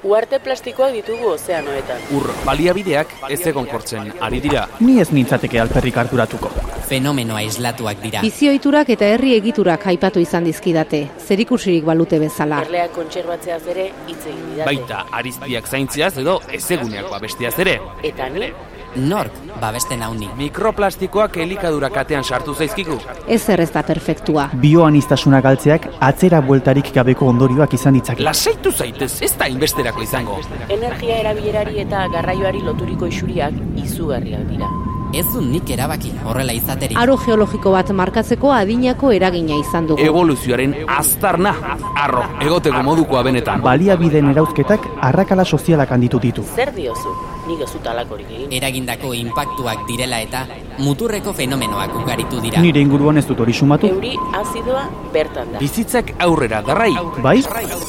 Uharte plastikoak ditugu ozeanoetan. Ur baliabideak ez egonkortzen ari dira. Ni ez nintzateke alperrik harturatuko. Fenomeno aislatuak dira. Bizioiturak eta herri egiturak aipatu izan dizkidate, zerikusirik balute bezala. Erleak kontserbatzeaz ere hitz egin didate. Baita ariztiak zaintziaz edo ezeguneak babestiaz ere. Eta ni? Nork babesten hauni. Mikroplastikoak elikadura katean sartu zaizkigu. Ezer ez da perfektua. Bioanistasuna galtzeak atzera bueltarik gabeko ondorioak izan ditzake. Lasaitu zaitez, ez da inbesterako izango. Energia erabilerari eta garraioari loturiko isuriak izugarriak dira. Ez du nik erabaki horrela izateri. Aro geologiko bat markatzeko adinako eragina izan dugu. Evoluzioaren aztarna, arro, egoteko modukoa benetan. Baliabideen erauzketak arrakala sozialak handitu ditu. Zer diozu? Nik ez dut alakorik egin. Eragindako inpaktuak direla eta muturreko fenomenoak ugaritu dira. Nire inguruan ez dut hori sumatu. Euri azidoa bertan da. Bizitzak aurrera darrai. Bai?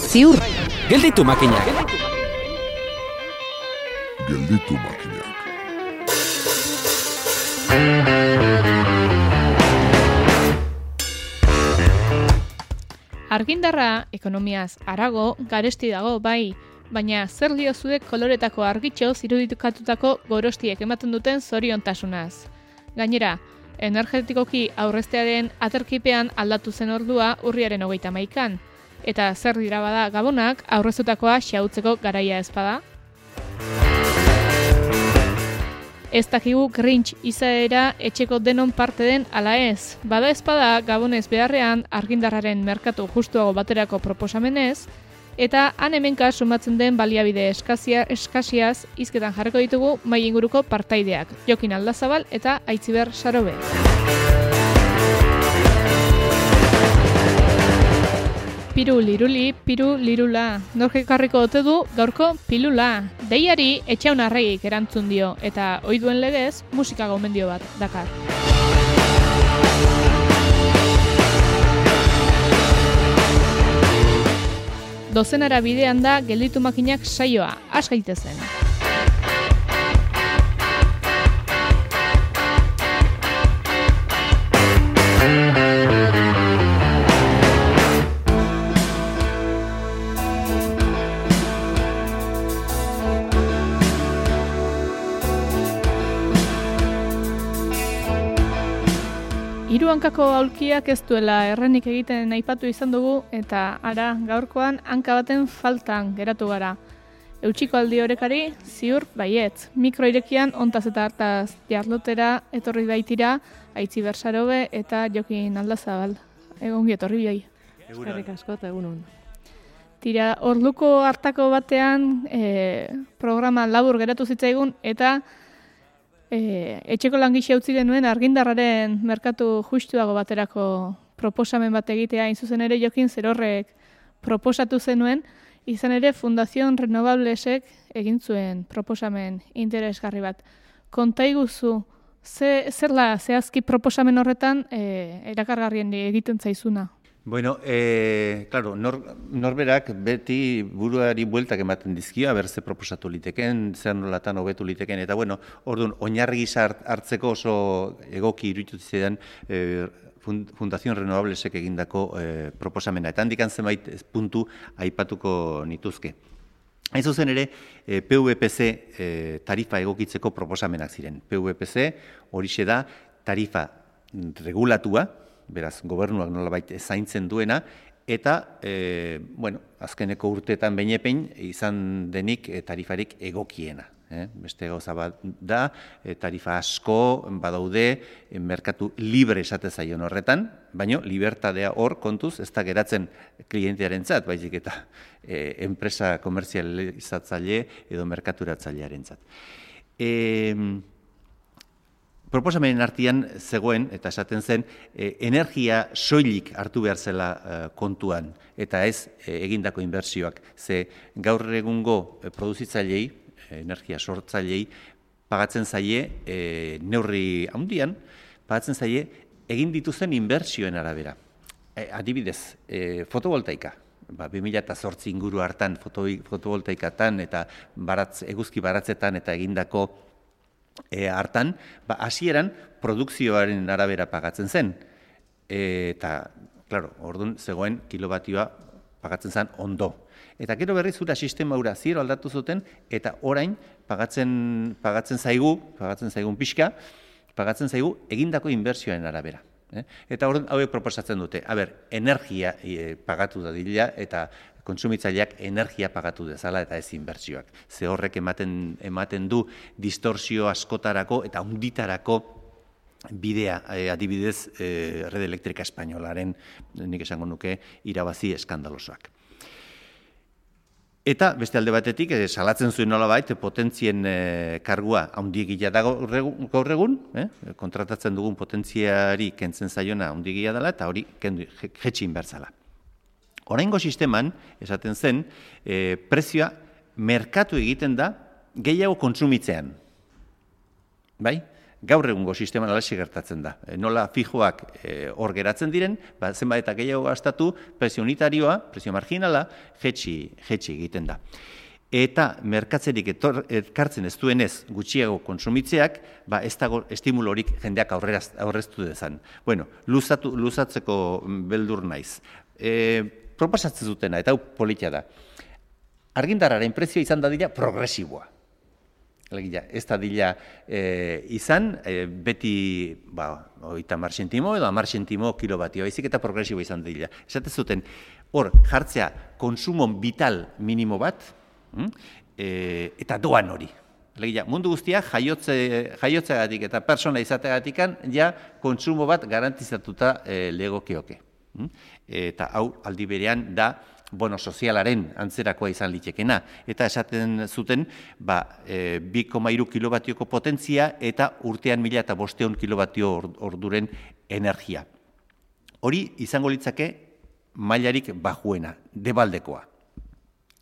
Ziur. Gelditu makinak. Gelditu makinak. Argindarra ekonomiaz harago garesti dago bai, baina zer diozuek koloretako argitxo iruditukatutako gorostiek ematen duten zoriontasunaz. Gainera, energetikoki aurreztearen aterkipean aldatu zen ordua urriaren 31an, eta zer dira bada gabonak aurreztutakoa xahutzeko garaia ez bada? Ez dakigu Grinch izaera etxeko denon parte den ala ez. Bada ezpada gabonez beharrean argindarraren merkatu justuago baterako proposamenez, eta han hemenka sumatzen den baliabide eskasiaz hizketan jarriko ditugu mahai inguruko partaideak, Jokin Aldazabal eta Aitziber Sarobe. Piru liruli, piru lirula. Nork ekarriko ote du gaurko pilula. Deiari Etxaun Arregik erantzun dio eta ohi duen legez musika gomendio bat dakar. Dozenara bidean da gelditu makinak saioa, has gaitezen. Hiru hankako aulkiak ez duela errenik egiten aipatu izan dugu eta ara gaurkoan hanka baten faltan geratu gara. Eutxiko aldi horekari ziur baietz. Mikroirekian ontaz eta hartaz jarlotera etorri baitira Aitziber Sarobe eta Jokin Aldazabal. Egongi etorri bioi. Eskerrik asko eta egunon. Tira, orduko hartako batean programa labur geratu zitzaigun eta etxeko langixe utzi genuen argindarraren merkatu justuago baterako proposamen bat egitea, hain zuzen ere Jokin Zerorrek proposatu zenuen, izan ere Fundación Renovablesek egin zuen proposamen interesgarri bat. Konta iguzu, zerla zehazki proposamen horretan erakargarrien egiten zaizuna? Bueno, claro, norberak beti buruari bueltak ematen dizkio, berze proposatu liteken, zer nolatan hobetu liteken, eta bueno, orduan, oinarri gisa hartzeko oso egoki iruditu zidan Fundación Renovablesek egindako proposamena. Eta handikan zenbait puntu aipatuko nituzke. Hain zuzen ere, PVPC tarifa egokitzeko proposamenak ziren. PVPC horixe da tarifa regulatua, beraz, gobernuak nolabait zaintzen duena, eta, azkeneko urteetan behinepein izan denik tarifarik egokiena. Beste gauza bat da, tarifa asko badaude, merkatu libre esate zaion horretan, baina libertadea hor kontuz ez da geratzen klientearentzat, baizik eta enpresa komerzializatzaile edo merkaturatzailearentzat. Proposamenen artean zegoen, eta esaten zen, energia soilik hartu behar zela kontuan, eta ez egindako inbertsioak. Ze gaur egungo produzitzailei, energia sortzailei, pagatzen zaie, neurri handian, pagatzen zaie, egin dituzen inbertsioen arabera. Adibidez, fotovoltaika. 2008 inguru hartan fotovoltaikatan eta eguzki baratzetan eta egindako hartan, hasieran produkzioaren arabera pagatzen zen. Eta, klaro, orduan zegoen kilobatioa pagatzen zen ondo. Eta gero berriz ura sistema ura zero aldatu zuten, eta orain pagatzen zaigun pixka, pagatzen zaigu egindako inbertsioen arabera. Eta hauek proposatzen dute, energia pagatu da dila, eta kontsumitzaileak energia pagatu dezala eta ez inbertsioak. Ze horrek ematen du distorsio askotarako eta hunditarako bidea, adibidez, Red Elektrika Espainolaren, nik esango nuke, irabazi eskandalosoak. Eta beste alde batetik, salatzen zuen nolabait, potentzien kargua haundiegia da gaur egun, kontratatzen dugun potentziari kentzen zaiona haundiegia dela, eta hori jetxin bertzala. Oraingo sisteman, esaten zen, prezioa merkatu egiten da gehiago kontsumitzean. Bai? Gaur egungo sisteman alaxe gertatzen da. Nola fijoak hor geratzen diren, zenbait eta gehiago gastatu, prezio unitarioa, prezio marginala, jetxi egiten da. Eta merkatzerik ekartzen ez duenez gutxiago kontsumitzeak, ez dago estimulorik jendeak aurreztu dezan. Bueno, luzatzeko beldur naiz. Proposatzen dutena, eta hau politia da. Argindarraren prezioa izan dadila progresiboa. Ez da dila izan, beti 30 zentimo edo 10 zentimo kilobatio, baizik eta progresiboa izan dila. Esate zuten, hor jartzea konsumon vital minimo bat, eta doan hori. Mundu guztia jaiotzeagatik eta persona izateagatikan ja kontsumo bat garantizatuta legokioke. Eta hau aldi berean da bono sozialaren antzerakoa izan litekena. Eta esaten zuten 2,3 kilobatioko potentzia eta urtean 1500 kilobatio orduren energia. Hori izango litzake mailarik bajuena, debaldekoa.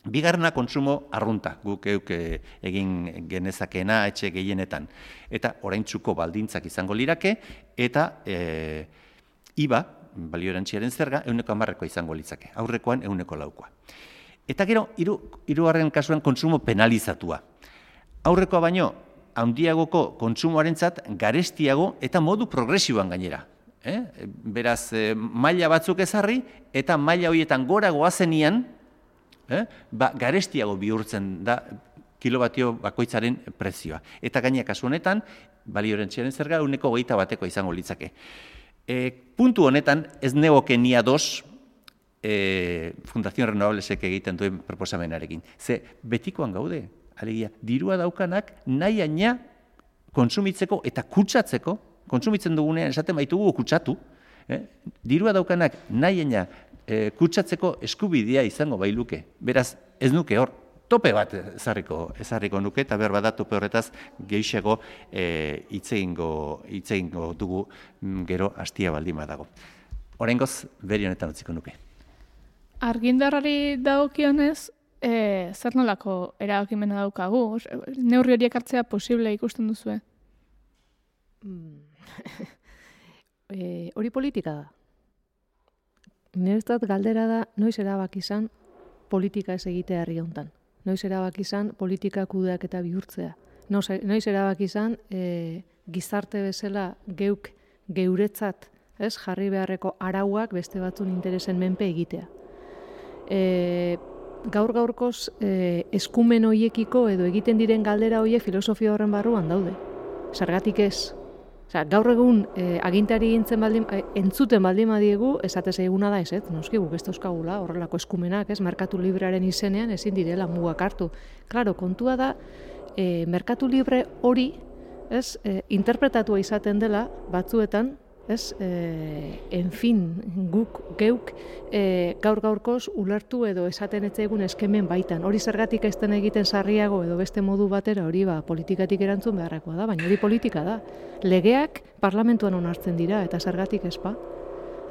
Bigarrena kontsumo arrunta, guk egin genezakeena etxe gehienetan. Eta oraintsuko baldintzak izango lirake, eta IVA, balio erantziaren zerga, 110koa izango litzake, aurrekoan 104koa. Eta gero, hirugarren kasuan kontsumo penalizatua. Aurrekoa baino, handiagoko kontsumoarentzat garestiago eta modu progresiboan gainera. Beraz, maila batzuk ezarri, eta maila horietan gora goazenian, garestiago bihurtzen da kilobatio bakoitzaren prezioa. Eta gainera kasu honetan, balio erantziaren zerga 121koa izango litzake. Puntu honetan, ez negoke ni ados Fundación Renovablesek egiten duen proposamenarekin. Ze betikoan gaude, alegia, dirua daukanak nahi aina kontsumitzeko eta kutsatzeko, kontsumitzen dugunean esaten baitugu kutsatu, dirua daukanak nahi aina kutsatzeko eskubidea izango bailuke. Beraz, ez nuke hor, tope bat ezarriko nuke, eta behar bada tope horretaz gehiago hitz egingo dugu gero hastia baldin badago. Oraingoz, beri honetan utziko nuke. Argindarrari dagokionez, zer nolako erabakimena daukagu? Neurri horiek hartzea posible ikusten duzue? Hori politika da. Niretzat galdera da, noiz erabaki izan politika ez egitea herri hontan. Noiz erabaki izan politika kudeak eta bihurtzea. Noiz erabaki izan gizarte bezala geuretzat jarri beharreko arauak beste batzun interesen menpe egitea. Gaur-gaurkoz eskumen hoiekiko edo egiten diren galdera hoiek filosofia horren barruan daude. Zergatik ez. Gaur egun agintari entzuten baldin badiegu, esate zaiguna da ez, noski guk ez dauzkagula horrelako eskumenak, merkatu librearen izenean ezin direla mugak hartu. Klaro, kontua da, merkatu libre hori interpretatua izaten dela batzuetan, geuk gaur-gaurkoz ulertu edo esaten etzaigun eskemen baitan. Hori zergatik ez den egiten sarriago edo beste modu batera hori politikatik erantzun beharrekoa da, baina hori politika da. Legeak parlamentuan onartzen dira eta zergatik ezpa.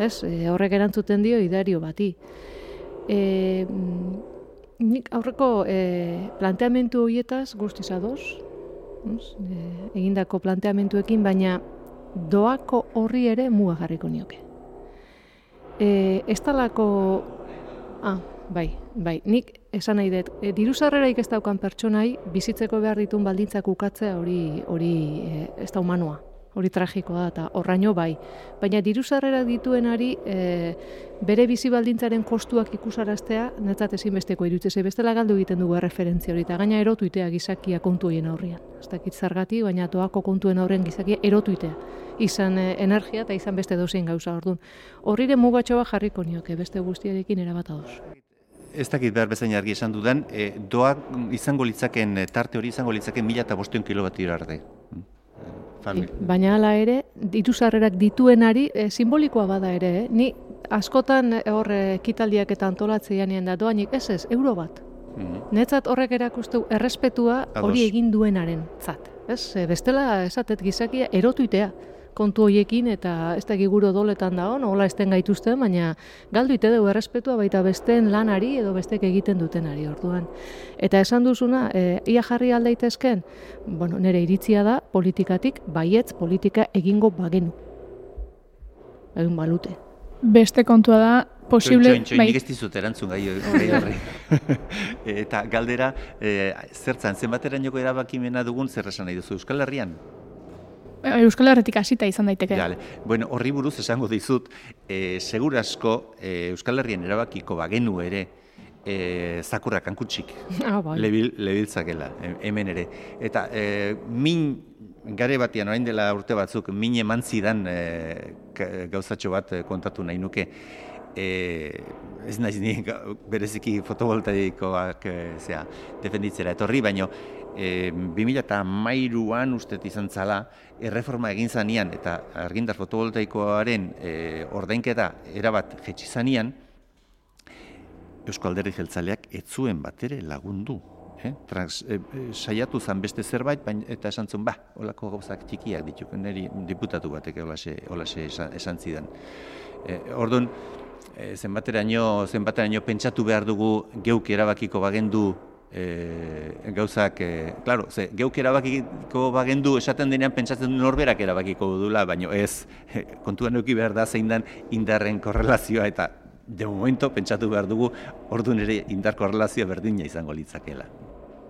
Horrek erantzuten dio idario bati. Nik aurreko planteamendu horietaz guztiz ados, egindako planteamenduekin, baina doako horri ere muga jarriko nioke. Ez talako... Bai, nik esan nahi dut, diru-sarrerarik ez daukan pertsonai bizitzeko behar ditun baldintzak ukatzea hori ez da humanoa. hori tragikoa da, eta horraino bai. Baina diru sarrerak dituenari bere bizi baldintzaren kostuak ikusaraztea netzat ezinbesteko iruditzen bestela galdu egiten dugu referentzia hori, eta gaina erotuitea gizakia kontu horien aurrean. Ez dakit zergatik, baina doako kontuen aurrean gizakia erotuitea. Izan energia eta izan beste dozein gauza orduan. Horrire mugatxo bat jarriko nioke, beste guztiarekin erabat ados. Ez dakit behar bezain argi esan dudan, doak izango litzaken, tarte hori izango litzaken 1500 kilometro arte. Baina hala ere, diru sarrerak dituenari simbolikoa bada ere, ni askotan hor ekitaldiak eta antolatzean da doainik, ez, euro bat. Netzat horrek erakusteu errespetua hori egin duenaren zat. Bestela esatet gizakia erotuitea kontu horiekin eta ez da giguro doletan da hon, hola esten gaituzten, baina galduite dugu errespetua baita besteen lanari edo bestek egiten dutenari orduan. Eta esan duzuna, ia jarri aldaitezken, bueno, nire iritzia da politikatik, baietz politika egingo bagenu. Egun balute. Beste kontua da, posible... Nik ez dizut erantzun gai horri. Eta galdera, zertzan, zenbaterainoko erabakimena dugun zer esan nahi duzu Euskal Herrian? Euskal Herretik hasita izan daiteke. Bueno, horri buruz esango dizut, segur asko Euskal Herrien erabakiko bagenu ere zakurrak hankutsik lebiltzakela, hemen ere. Eta min gare batean, orain dela urte batzuk, min eman zidan gauzatxo bat kontatu nahi nuke. Ez naiz ni bereziki fotovoltaikoak defenditzera etorri, baino 2013an ustet izan zala, erreforma egin zanean eta argindar fotovoltaikoaren ordainketa erabat jetxi zanean, Eusko Alderdi Jeltzaleak ez zuen batere lagundu. Saiatu zan beste zerbait, eta esan zuen, holako gauzak txikiak dituk, niri diputatu batek holaxe esan zidan. Orduan, zenbateraino pentsatu behar dugu geuk erabakiko bagendu gauzak, klaro, geuk erabakiko bagendu esaten denean pentsatzen du norberak erabakiko dula, baina ez, kontuan eduki behar da zein den indarren korrelazioa eta de momento pentsatu behar dugu orduan ere indar korrelazioa berdina izango litzakela.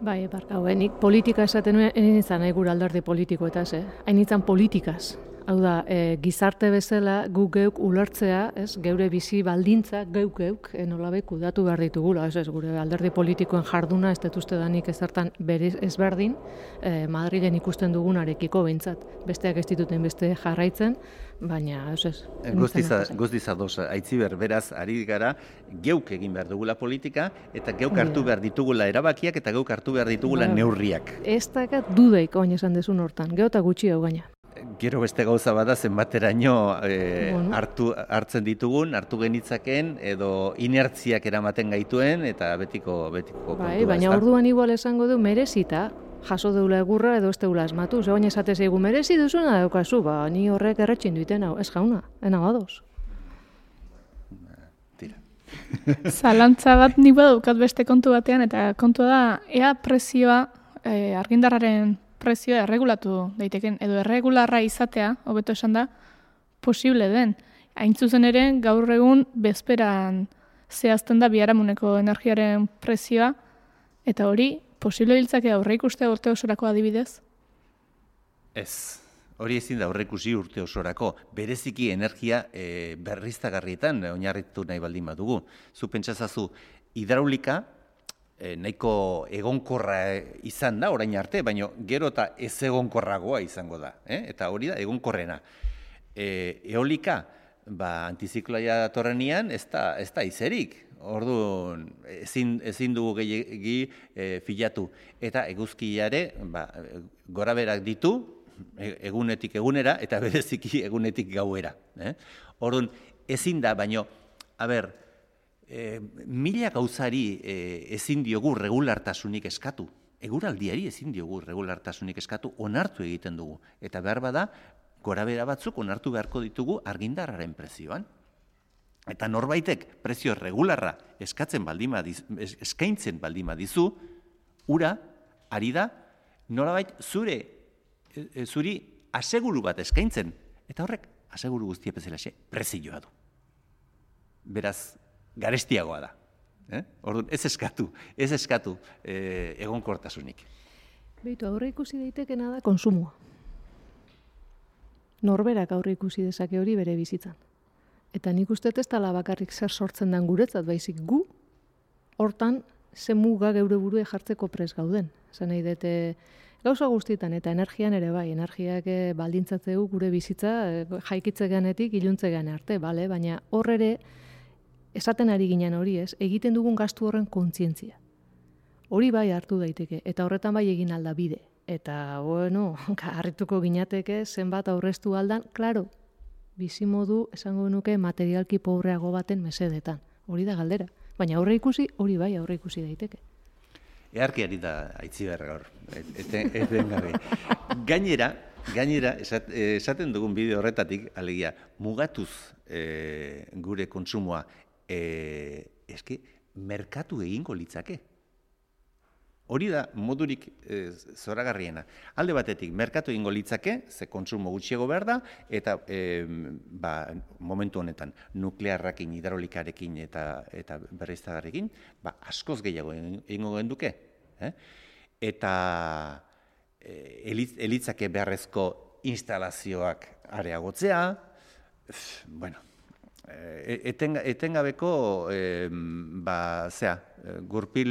Bai, nik politika esaten nuen, hain nahi gure alderdi politikoetaz, hain izan politikaz. Hau da, gizarte bezala guk geuk ulertzea, geure bizi baldintza geuk nolabait kudatu behar ditugula, gure alderdi politikoen jarduna ez detuzte danik ezertan ezberdin, Madrilen ikusten dugunarekiko behintzat. Besteak ez dituten beste jarraitzen, baina ez. Guztiz ados, Aitziber, beraz, ari gara, geuk egin behar dugula politika, eta geuk hartu behar ditugula erabakiak, eta geuk hartu behar ditugula neurriak. Ez dakat dudaik oin esan dezun hortan, geota gutxi hau gaina. Gero beste gauza bada zenbateraino hartzen ditugun, hartu genitzaken, edo inertziak eramaten gaituen, eta betiko kontua. Bai, baina orduan igual esango du merezita, jaso deula egurra edo ez deula asmatu. Zegoen esate zeigu merezi duzuna daukazu, ni horrek erretxin duiten hau, ez jauna, ena badoz. Tira. Zalantza bat nik badaukat beste kontu batean, eta kontua da, ea prezioa argindarraren prezioa erregulatu daiteken, edo erregularra izatea, hobeto esan da, posible den. Hain zuzen ere, gaur egun bezperan zehazten da biharamuneko energiaren prezioa, eta hori, posible biltzake aurre ikustea urte osorako adibidez? Ez, hori ezin da aurre ikusi urte osorako. Bereziki energia berriztagarrietan oinarritu nahi baldin badugu. Zu pentsazazu, hidraulika, nahiko egonkorra izan da orain arte, baina gero eta ez egonkorragoa izango da, eta hori da egonkorrena. Eolika, antizikloia datorrenean ez da izerik, orduan ezin dugu gehiagi filatu, eta eguzkiare goraberak ditu egunetik egunera eta bereziki egunetik gauera. Orduan ezin da, baina, mila gauzari ezin diogu regulartasunik eskatu. Eguraldiari ezin diogu regulartasunik eskatu, onartu egiten dugu. Eta behar bada, gorabera batzuk onartu beharko ditugu argindarraren prezioan. Eta norbaitek prezio regularra eskaintzen baldin badizu, ura, ari da, nolabait zuri aseguru bat eskaintzen. Eta horrek, aseguru guztia bezalaxe, prezioa du. Beraz, garestiagoa da. Orduan, ez eskatu egonkortasunik. Beitu, aurre ikusi daitekena da konsumoa. Norberak aurre ikusi dezake hori bere bizitzan. Eta nik uste ez dela bakarrik zer sortzen den guretzat, baizik gu hortan ze muga geure burue jartzeko pres gauden. Esan nahi dute gauza guztietan eta energian ere bai, energiak baldintzatzeu gure bizitza jaikitze ganetik iluntze gane arte, bale? Baina hor ere esaten ari ginen hori ez, egiten dugun gastu horren kontzientzia. Hori bai hartu daiteke, eta horretan bai egin alda bide. Eta, bueno, harrituko ginateke zenbat aurreztu aldan, klaro, bizimodu esango nuke materialki pobreago baten mesedetan. Hori da galdera. Baina aurre ikusi, hori bai aurre ikusi daiteke. Earkiari da aitzi behar gaur, eten gabe. Gainera, esaten dugun bideo horretatik, alegia, mugatuz gure kontsumoa, eske, merkatu egingo litzake. Hori da modurik zoragarriena. Alde batetik, merkatu egingo litzake, ze kontsumo gutxiago behar da, eta momentu honetan nuklearrakin, hidraulikarekin eta berriztagarrekin, askoz gehiago egingo genduke. Eta elitzake beharrezko instalazioak areagotzea, bueno, etengabeko gurpil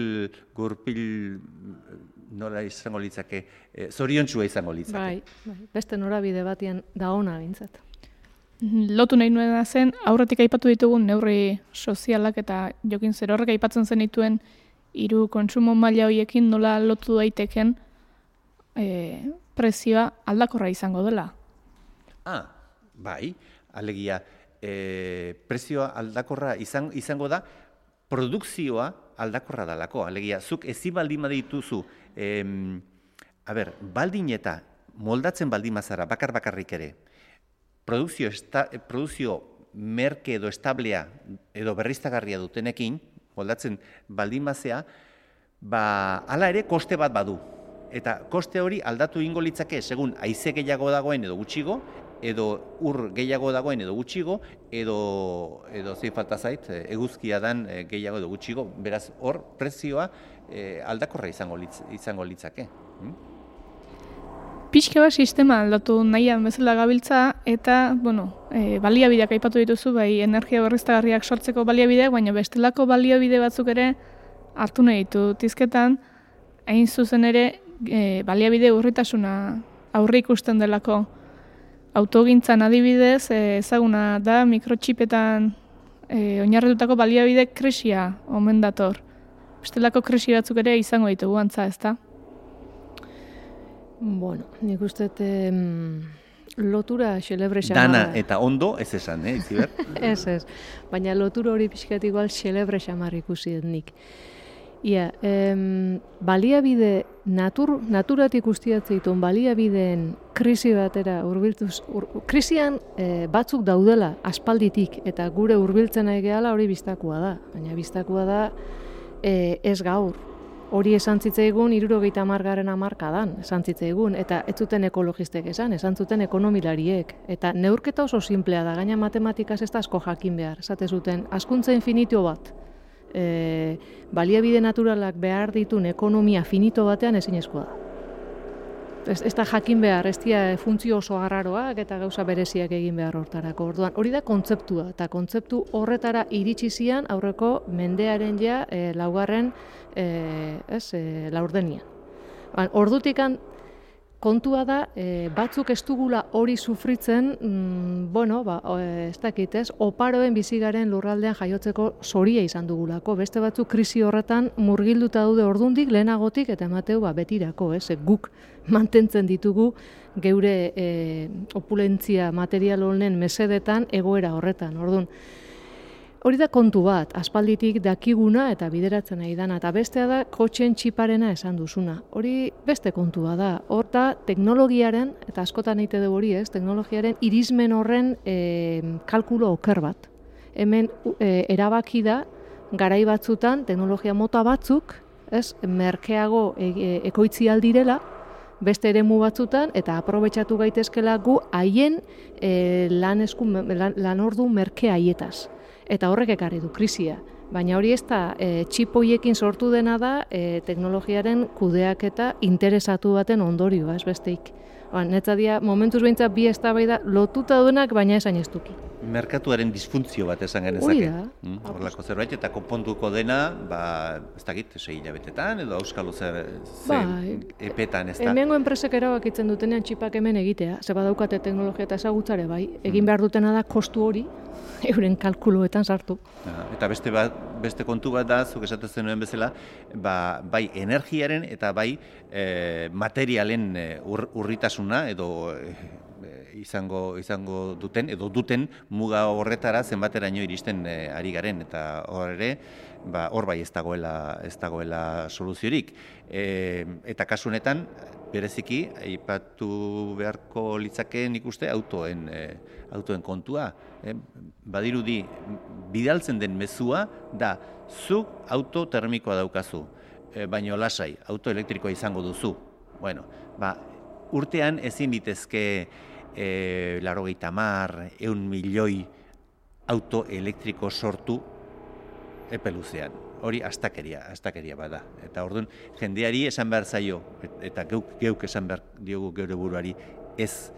nola izango litzake, zoriontsua izango litzake. Bai, beste norabide batean da ona bintzat. Lotu nahi nuena zen, aurretik aipatu ditugun neurri sozialak eta Jokin Zerorrek aipatzen zenituen 3 kontsumo maila horiekin nola lotu daiteken prezioa aldakorra izango dela. Bai, alegia, prezioa aldakorra izango da, produkzioa aldakorra dalako. Alegia, zuk ezin baldin badituzu, baldin eta moldatzen baldin mazara, bakarrik ere, produkzio merke edo establea edo berriztagarria dutenekin, moldatzen baldin mazea, hala ere koste bat badu. Eta koste hori aldatu ingo litzake, segun haize gehiago dagoen edo gutxigo, edo ur gehiago dagoen edo gutxigo, edo zein falta zait, eguzkia dan gehiago edo gutxigo, beraz hor prezioa aldakorra izango litzake. Pixka bat sistema aldatu nahian bezala gabiltza, eta, baliabideak aipatu dituzu, bai energia berriztagarriak sortzeko baliabideak, baina bestelako baliabide batzuk ere hartu nahi ditu tizketan, hain zuzen ere baliabide urritasuna aurre ikusten delako. Autogintzan adibidez, ezaguna da mikrotxipetan oinarritutako baliabide krisia omen dator. Bestelako krisi batzuk ere izango ditugu antza, ezta? Bueno, nik uste lotura xelebre xamarra. Dana eta ondo, ez esan, Itziber? Ez. Baina lotura hori pixkat igual xelebre xamarra ikusi dut nik. Ia, baliabide, naturatik ustiatzeiton baliabideen krisi batera urbiltuz, krisian batzuk daudela aspalditik eta gure urbiltzen nahi gehala hori biztakua da. Baina biztakua da ez gaur. Hori esan zitzaigun 70. hamarkadan esan zitzaigun, eta ez zuten ekologistek esan zuten ekonomilariek. Eta neurketa oso simplea da, gaina matematikaz ez da asko jakin behar. Esate zuten, hazkuntza infinito bat. Baliabide naturalak behar ditun ekonomia finito batean ezinezkoa da. Ez da jakin behar, ez dira funtzio oso arraroak eta gauza bereziak egin behar hortarako. Orduan, hori da kontzeptua, eta kontzeptu horretara iritsi zian aurreko mendearen laugarren laurdenian. Ordutikan kontua da, batzuk ez dugula hori sufritzen, ez dakit ez, oparoen bizigaren lurraldean jaiotzeko zoria izan dugulako. Beste batzuk krisi horretan murgilduta daude ordundik, lehenagotik, eta emateu betirako, guk mantentzen ditugu geure opulentzia material honen mesedetan egoera horretan. Orduan, hori da kontu bat, aspalditik dakiguna eta bideratzen nahi dana, eta bestea da kotxen txiparena esan duzuna. Hori beste kontua da, hor da teknologiaren, eta askotan egite dugu hori teknologiaren irismen horren kalkulo oker bat. Hemen erabaki da, garai batzutan, teknologia mota batzuk, merkeago ekoitzi aldirela, beste eremu batzutan, eta aprobetxatu gaitezkela gu haien lan ordu merke haietaz. Eta horrek ekarri du krisia. Baina hori ez da, txip horiekin sortu dena da teknologiaren kudeaketa interesatu baten ondorioa, ez besteik. Netzadia, momentuz behintzat bi eztabaida lotuta duenak, baina esain ez duki. Merkatuaren disfuntzio bat esan genezake. Hori da. Horlako zerbait, eta konponduko dena, ez dakit, 6 hilabetetan, edo auskalo zer epetan, ez da. Hemengo enpresek erabakitzen dutenean txipak hemen egitea, ze badaukate teknologia eta ezagutzare bai, egin behar dutena da kostu hori, euren kalkuluetan sartu. Eta beste kontu bat da, zuk esaten zenuen bezala, bai energiaren eta bai materialen urritasuna edo izango duten edo duten muga horretara zenbateraino iristen ari garen, eta hor ere hor bai ez dagoela soluziorik. Eta kasu honetan bereziki aipatu beharko litzake nik uste autoen kontua. Badirudi bidaltzen den mezua da zuk auto termikoa daukazu, baino lasai auto elektrikoa izango duzu. Bueno, urtean ezin ditezke 90.000, 1.000.000 auto elektriko sortu epe luzean. Hori astakeria bada. Eta orduan jendeari esan behar zaio, eta geuk esan behar diogu geure buruari, ez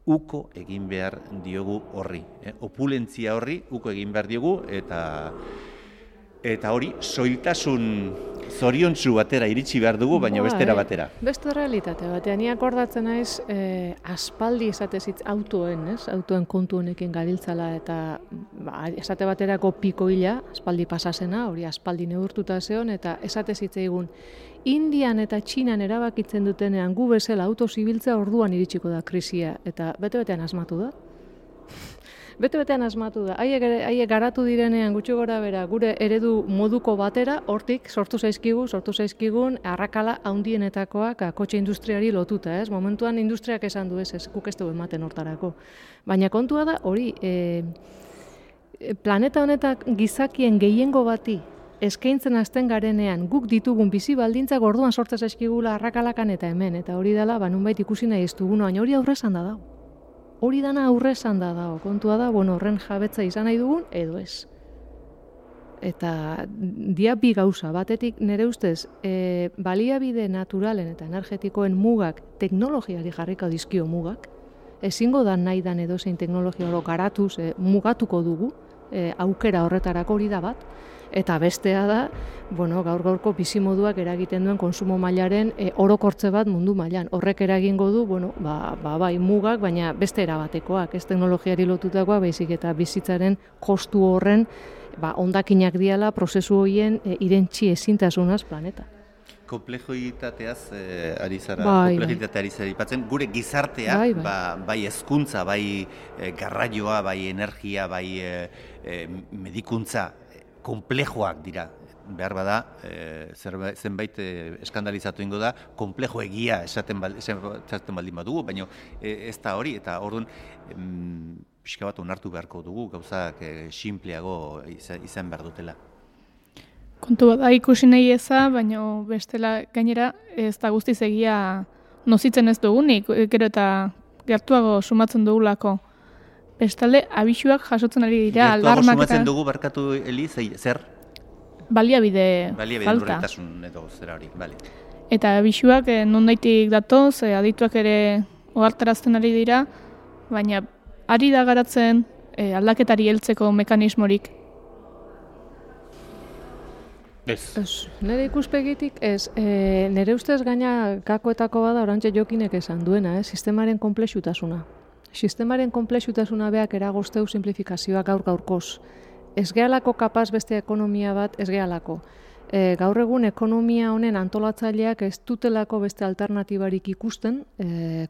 uko egin behar diogu horri. Opulentzia horri uko egin behar diogu, eta hori soiltasun zoriontsu batera iritsi behar dugu, baina bestera batera. Beste realitate batean, ni akordatzen naiz aspaldi esatezitz autoen kontu honekin gabiltzala, eta esate baterako piko hila, aspaldi pasasena, hori aspaldi neurtuta zeon, eta esatezitzegun Indian eta Txinan erabakitzen dutenean gu bezala auto zibiltzea orduan iritsiko da krisia, eta bete-betean asmatu da. Bete-betean asmatu da. Haiek garatu direnean gutxi gora bera gure eredu moduko batera, hortik sortu zaizkigun arrakala handienetakoak kotxe industriari lotuta, ez? Momentuan industriak esan du ez guk ez dugu ematen hortarako. Baina kontua da hori, planeta honetak gizakien gehiengo bati eskaintzen hasten garenean guk ditugun bizi baldintzak orduan sortzen zaizkigula arrakalakan eta hemen, eta hori dela nunbait ikusi nahi ez duguna, baina hori aurrezan da dago. Hori dana aurrezan da dago, kontua da, horren jabetza izan nahi dugun, edo ez. Eta dia bi gauza, batetik nire ustez, baliabide naturalen eta energetikoen mugak, teknologiari jarriko dizkio mugak, ezingo da nahi dan edozein teknologia oro garatuz mugatuko dugu, aukera horretarako hori da bat, eta bestea da, gaur-gaurko bizimoduak eragiten duen konsumo mailaren orokortze bat mundu mailan. Horrek eragingo du, bai mugak, baina beste erabatekoak, ez teknologiari lotutakoak, baizik eta bizitzaren kostu horren hondakinak diala prozesu horien irentsi ezintasunaz planeta. Konplexitateaz ari zara aipatzen, gure gizartea, bai hezkuntza, bai garraioa, bai energia, bai medikuntza, konplejoak dira. Behar bada, zenbait eskandalizatu ingo da, konplejo egia esaten baldin badugu, baina ez da hori, eta orduan pixka bat onartu beharko dugu, gauzak sinpleago izan behar dutela. Kontu bat da ikusi nahi eza, baina bestela gainera ez da guztiz egia nozitzen ez dugunik, gero eta gertuago sumatzen dugulako. Bestalde, abisuak jasotzen ari dira, alarmak eta... Gertuago sumatzen dugu, barkatu Eli, zer? Baliabide falta. Urritasun edo zera hori, bale. Eta abisuak nondaitik datoz, adituak ere ohartarazten ari dira, baina ari da garatzen aldaketari heltzeko mekanismorik. Ez. Nire ikuspegitik ez, nire ustez gaina gakoetako bada orantxe Jokinek esan duena, sistemaren konplexutasuna. Sistemaren konplexutasuna beak eragozteu simplifikazioa gaur-gaurkoz. Ez gehalako kapaz beste ekonomia bat, ez gehalako. Gaur egun ekonomia honen antolatzaileak ez dutelako beste alternatibarik ikusten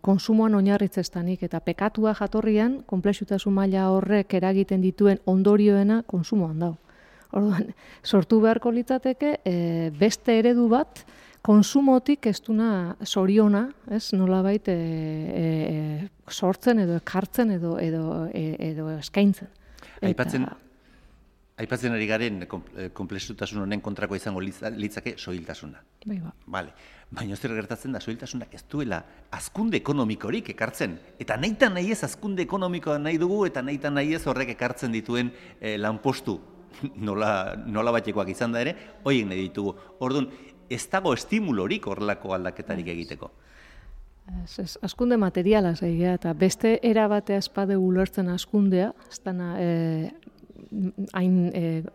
konsumoan oinarritzestanik, eta pekatua jatorrian konplexutasun maila horrek eragiten dituen ondorioena konsumoan dago. Orduan, sortu beharko litzateke beste eredu bat konsumotik ez duna soriona, ez nolabait sortzen edo ekartzen edo eskaintzen. Aipatzen ari garen konplexutasun honen kontrako izango litzake soiltasuna. Vale. Baina zer gertatzen da, soiltasunak ez duela hazkunde ekonomikorik ekartzen. Eta nahitan nahi ez hazkunde ekonomikoa nahi dugu, eta nahitan nahi ez horrek ekartzen dituen lanpostu nola batekoak izan da ere, horiek nahi ditugu. Orduan, ez dago estimulorik horrelako aldaketarik egiteko. Askunde materiala zeigia, eta beste erabatea espade ulertzen askundea, ez dana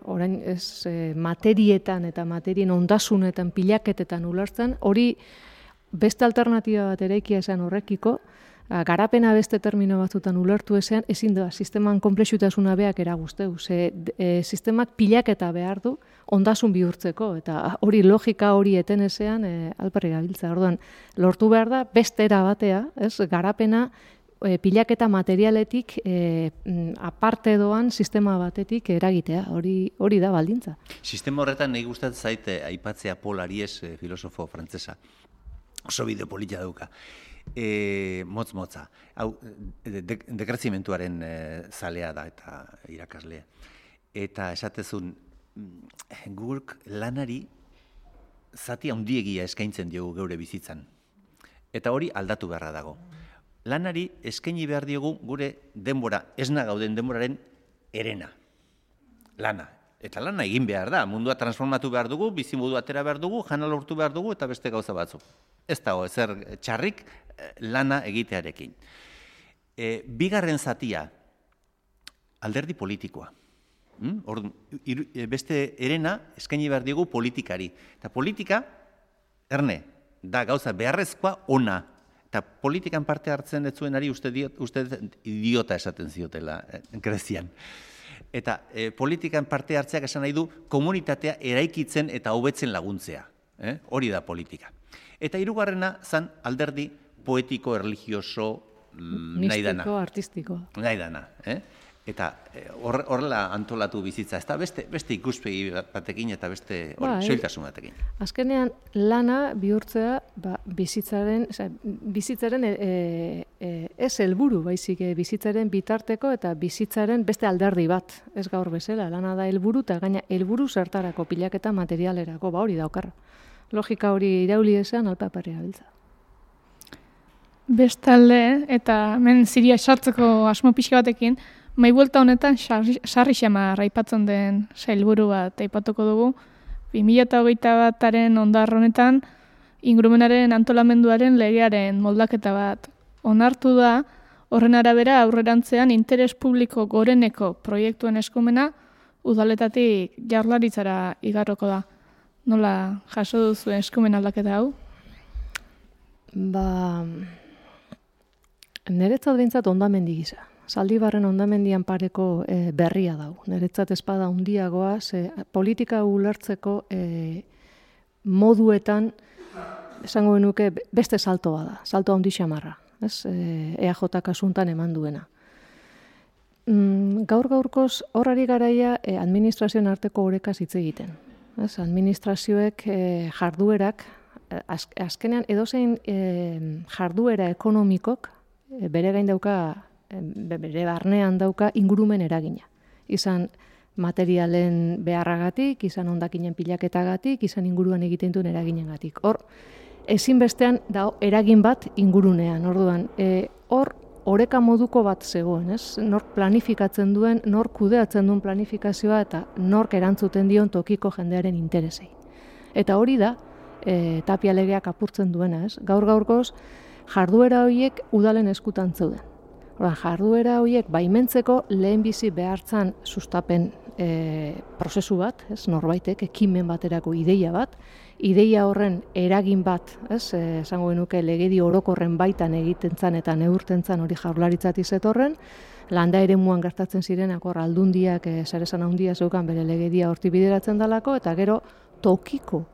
orain ez materietan eta materien ondasunetan pilaketetan ulertzen, hori beste alternatiba bat eraikia esan horrekiko, garapena beste termino batzutan ulertu ezean, ezin da, sisteman komplexutasuna beak eraguzteu, sistemak pilaketa behar du, ondasun bihurtzeko, eta hori logika hori eten ezean alperri gabiltza. Orduan, lortu behar da, beste erabatea, garapena pilaketa materialetik aparte doan sistema batetik eragitea, hori da baldintza. Sistema horretan nahi gustatzen zaite aipatzea Paul Ariès, filosofo frantsesa, oso bideo polita dauka. Motz-motza. Hau, dekrezimentuaren zalea da eta irakaslea. Eta esatezun, guk lanari zati handiegia eskaintzen diogu geure bizitzan. Eta hori aldatu beharra dago. Lanari eskaini behar diogu gure denbora, esna gauden denboraren erena. Lana. Eta lana egin behar da. Mundua transformatu behar dugu, bizimodu atera behar dugu, jana lortu behar dugu eta beste gauza batzuk. Ez dago, ezer txarrik lana egitearekin. Bigarren zatia, alderdi politikoa. Beste erena eskaini behar diogu politikari. Eta politika, erne, da gauza beharrezkoa ona. Eta politikan parte hartzen ez zuenari uste idiota esaten ziotela Grezian. Eta politikan parte hartzeak esan nahi du komunitatea eraikitzen eta hobetzen laguntzea. Hori da politika. Eta hirugarrena zan alderdi poetiko, erlijioso, nahi dana. Mistiko, artistiko. Nahi dana. Eta horrela antolatu bizitza. Ez da beste ikuspegi batekin eta beste soiltasun batekin. Azkenean lana bihurtzea bizitzaren ez helburu, baizik bizitzaren bitarteko eta bizitzaren beste alderdi bat. Ez gaur bezala, lana da helburu eta gaina helburu zertarako pilaketa materialerako, hori daukarra. Logika hori irauli ezean alpaparria biltza. Bestalde, eta hemen ziria sartzeko asmo pixka batekin, mai buelta honetan sarri xamar aipatzen den sailburu bat aipatuko dugu. 2021aren ondar honetan ingurumenaren antolamenduaren legearen moldaketa bat onartu da, horren arabera aurrerantzean interes publiko goreneko proiektuen eskumena udaletatik jaurlaritzara igarroko da. Nola jaso duzu eskumen aldaketa hau? Niretzat behintzat ondamendi gisa. Zaldibarren ondamendian pareko berria dau. Niretzat espada handiagoa, politika ulertzeko moduetan, esango genuke, beste saltoa da. Salto handi xamarra. EAJ kasuntan eman duena. Gaur-gaurkoz horrari garaia administrazioen arteko orekaz hitz egiten. Administrazioek jarduerak, azkenean edozein jarduera ekonomikok bere gain dauka, bere barnean dauka ingurumen eragina. Izan materialen beharragatik, izan hondakinen pilaketagatik, izan inguruan egiten duen eraginengatik. Hor, ezinbestean da eragin bat ingurunean. Orduan, hor oreka moduko bat zegoen, ez? Nork planifikatzen duen, nork kudeatzen duen planifikazioa eta nork erantzuten dion tokiko jendearen interesei. Eta hori da, Tapia legeak apurtzen duena, ez? Gaur-gaurkoz, jarduera horiek udalen eskutan zeuden. Jarduera horiek baimentzeko lehenbizi behartzan sustapen prozesu bat, ez? Norbaitek ekimen baterako ideia bat, ideia horren eragin bat, ez? Esango genuke legedi orokorren baitan egiten zan eta neurten zan hori jaurlaritzati zetorren, landa eremuan gertatzen zirenak hor aldundiak saresan handia zeukan bere legedia horti bideratzen dalako, eta gero tokiko,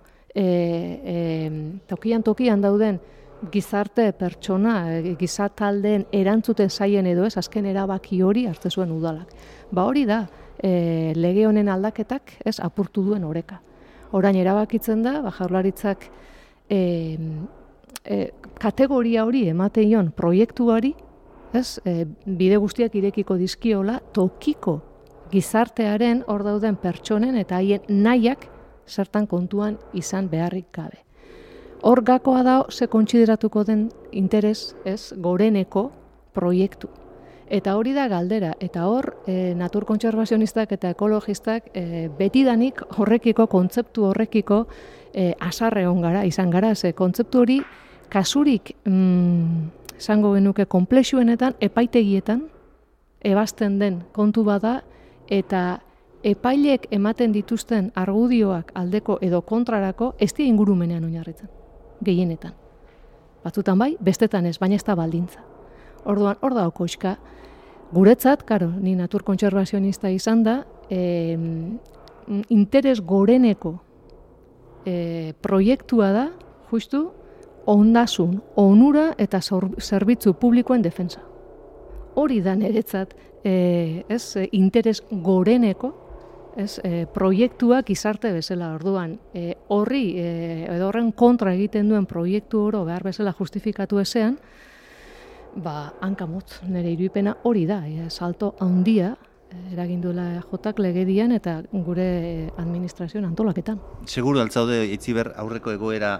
tokian dauden gizarte pertsona, gizataldeen erantzuten zaien edo ez, azken erabaki hori hartze zuen udalak. Hori da, lege honen aldaketak ez apurtu duen oreka. Orain erabakitzen da, jaurlaritzak kategoria hori emateion proiektuari, ez, bide guztiak irekiko dizkiola tokiko gizartearen hor dauden pertsonen eta haien nahiak zertan kontuan izan beharrik gabe. Hor gakoa da ze kontsideratuko den interes, ez, goreneko proiektu. Eta hori da galdera, eta hor naturkontserbazionistak eta ekologistak betidanik horrekiko, kontzeptu horrekiko asarre izan gara, ze kontzeptu hori kasurik esango genuke konplexuenetan, epaitegietan, ebazten den kontu bada, eta epailek ematen dituzten argudioak aldeko edo kontrarako ez dira ingurumenean oinarritzen, gehienetan. Batzutan bai, bestetan ez, baina ez da baldintza. Orduan, hor da okoizka, guretzat, karo, ni naturkontserbazionista izan da, interes goreneko proiektua da, justu, ondasun, onura eta zerbitzu publikoen defensa. Hori da niretzat, interes goreneko, proiektuak gizarte bezala. Orduan, horri, edo horren kontra egiten duen proiektu oro behar bezala justifikatu ezean, hankamotz, nire iruipena hori da, salto handia eragin duela jotak legedian eta gure administrazioan antolaketan. Seguru altzaude Itziber aurreko egoera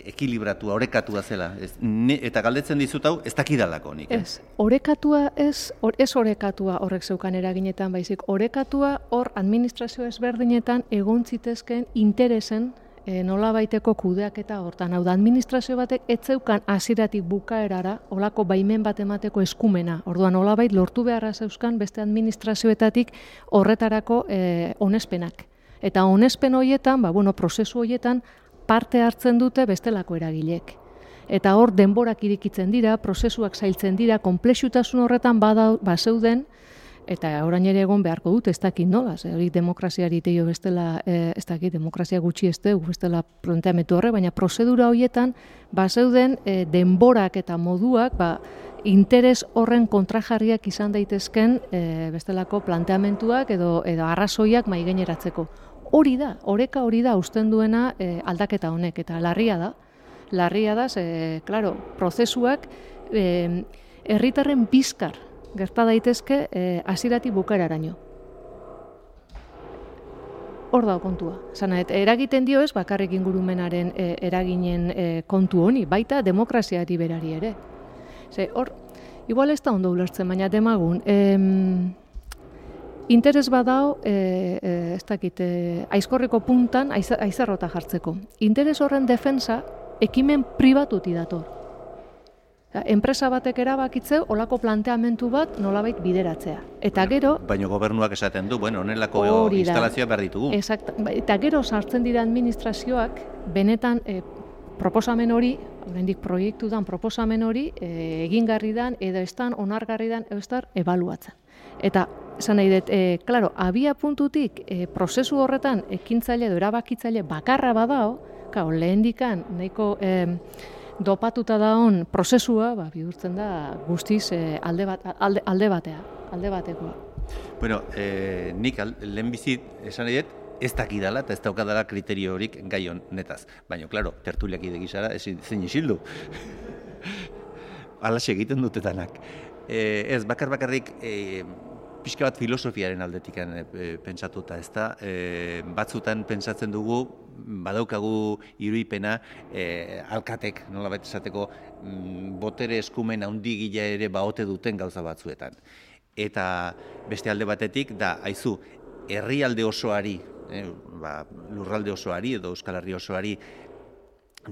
ekilibratua, orekatua zela. Eta galdetzen dizut hau, ez dakidalako nik. Ez, orekatua ez orekatua horrek zeukan eraginetan baizik. Orekatua hor administrazio ezberdinetan egon zitezken interesen nolabaiteko kudeaketa hortan. Hau da, administrazio batek ez zeukan hasieratik bukaerara olako baimen bat emateko eskumena. Orduan, nolabait lortu beharra zeuzkan beste administrazioetatik horretarako onespenak. Eta onespen horietan, prozesu horietan, parte hartzen dute bestelako eragilek. Eta hor denborak irikitzen dira, prozesuak zailtzen dira, konplexutasun horretan bazeuden, eta orain ere egon beharko dut, ez dakit nola, hori demokraziari teio bestela, ez dakit, demokrazia gutxi ez dugu, bestela planteamendu horre, baina prozedura horietan bazeuden denborak eta moduak, interes horren kontrajarriak izan daitezken bestelako planteamenduak edo arrazoiak maigaineratzeko. Hori da, oreka hori da usten duena aldaketa honek, eta larria da, prozesuak herritarren bizkar gerta daitezke hasieratik bukaeraraino. Hor da kontua. Eragiten dio ez bakarrik ingurumenaren eraginen kontu honi, baita demokraziari berari ere. Hor, igual ez da ondo ulertzen, baina demagun, interes badao, ez dakit, aizkorriko puntan aizarrota jartzeko. Interes horren defensa ekimen pribatuti dator. Enpresa batek erabakitzeu olako planteamendu bat nolabait bideratzea. Eta gero... Baina gobernuak esaten du, honelako instalazioa behar ditugu. Eta gero sartzen dira administrazioak, benetan proposamen hori, oraindik proiektudan proposamen hori, egingarri dan, edo estan, onargarri dan, ebaluatzen. Eta, esan nahi dut, abia puntutik, prozesu horretan, ekintzaile edo erabakitzaile bakarra badao, lehendikan, nahiko... dopatuta daon prozesua, bihurtzen da guztiz alde batekoa. Bueno, nik lehenbizit esan nahi dut, ez dakidala eta ez daukadala kriterio horik gai honetaz. Baina, klaro, tertuliak idegizara ezin isildu. Alaxe egiten dutetanak. Ez, bakarrik pixka bat filosofiaren aldetik pentsatuta, ez da, batzutan pentsatzen dugu, badaukagu iruipena alkatek, nolabait esateko, botere eskumen handigila ere baote duten gauza batzuetan. Eta beste alde batetik, aizu, herrialde osoari, lurralde osoari edo Euskal Herri osoari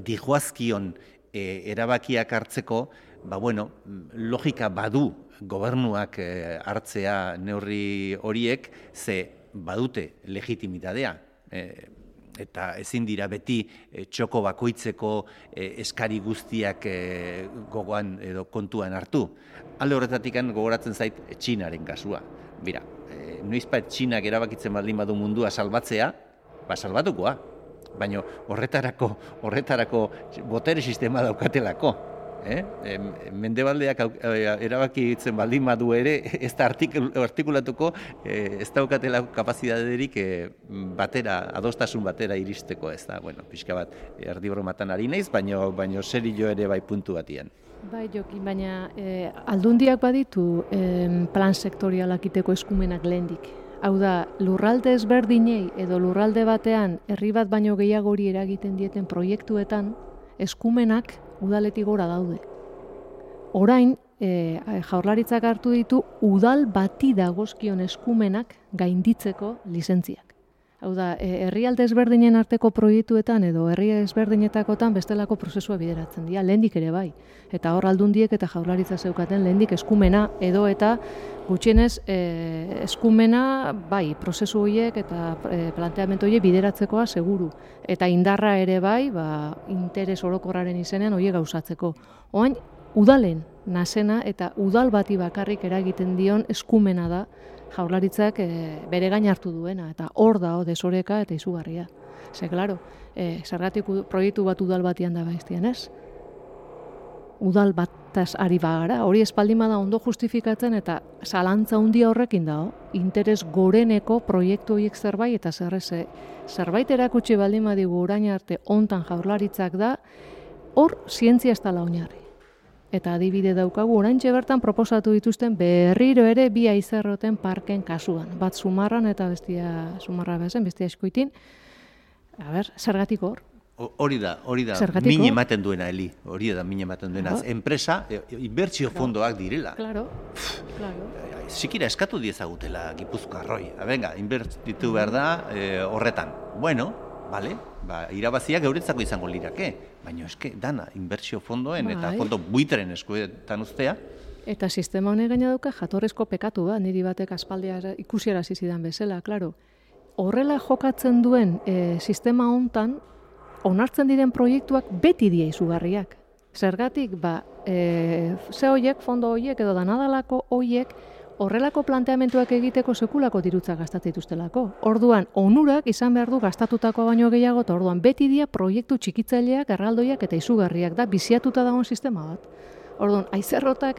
dijoazkion erabakiak hartzeko, logika badu gobernuak hartzea neurri horiek, ze badute legitimitatea. Eta ezin dira beti txoko bakoitzeko eskari guztiak gogoan edo kontuan hartu. Alde horretatik gogoratzen zait Txinaren kasua. Bira, noizbait Txinak erabakitzen baldin badu mundua salbatzea, salbatukoa. Baina horretarako botere sistema daukatelako. Mendebaldeak erabakitzen baldin badu ere, ez da artikulatuko, ez daukatela kapazitaterik adostasun batera iristeko, ez da, pixka bat, erdibromatan ari naiz, baina serio ere bai puntu batian. Bai, Jokin, baina aldundiak baditu plan sektorialak iteko eskumenak lehendik. Hau da, lurralde ezberdinei edo lurralde batean herri bat baino gehiagori eragiten dieten proiektuetan eskumenak udaletik gora daude. Orain, Jaurlaritzak hartu ditu udal bati dagozkion eskumenak gainditzeko lizentziak. Hau da, herrialde ezberdinen arteko proiektuetan edo herri ezberdinetakotan bestelako prozesua bideratzen dira, lehendik ere bai. Eta hor aldundiek eta Jaurlaritza zeukaten lehendik eskumena edo eta gutxienez eskumena bai, prozesu horiek eta planteamendu horiek bideratzekoa seguru. Eta indarra ere bai, interes orokorraren izenean horiek gauzatzeko. Oain, udalen nasena eta udal bati bakarrik eragiten dion eskumena da Jaurlaritzak bere gain hartu duena, eta hor da desoreka eta izugarria. Ze, klaro, zergatik proiektu bat udal batian da baiztian, ez? Udal bataz ari bagara, hori espaldin bada ondo justifikatzen eta zalantza handia horrekin dago, interes goreneko proiektu horiek zerbait, eta zerbait erakutsi baldin badigu orain arte hontan Jaurlaritzak da, hor zientzia ez dela oinarri. Eta adibide daukagu, oraintxe bertan proposatu dituzten berriro ere bi Aizarroten parken kasuan. Bat Zumarran eta bestia Zumarra bezen, bestia Eskuitin. Zergatik hor? Hori da, min ematen duena, Eli. Hori da, min ematen duena. Enpresa, inbertsio fondoak direla. Claro. Zikira eskatu diezagutela Gipuzkoarroi. Venga, inbertitu behar da horretan. Bueno, vale, irabaziak euretzako izango lirake. Baina eske, dana, inbertsio fondoen eta fondo buitren eskuetan uztea. Eta sistema honek gaina dauka jatorrezko pekatu da, niri batek aspaldia ikusiarazi zidan bezala, klaro. Horrela jokatzen duen sistema hontan, onartzen diren proiektuak beti die izugarriak. Zergatik, ze hoiek, fondo hoiek edo danadalako hoiek, horrelako planteamentuak egiteko sekulako dirutza gastatzen dituztelako. Orduan, onurak izan behar du gastatutakoa baino gehiago, eta orduan beti dira proiektu txikitzaileak, erraldoiak eta izugarriak da, biziatuta dagoen sistema bat. Orduan, Aizarroten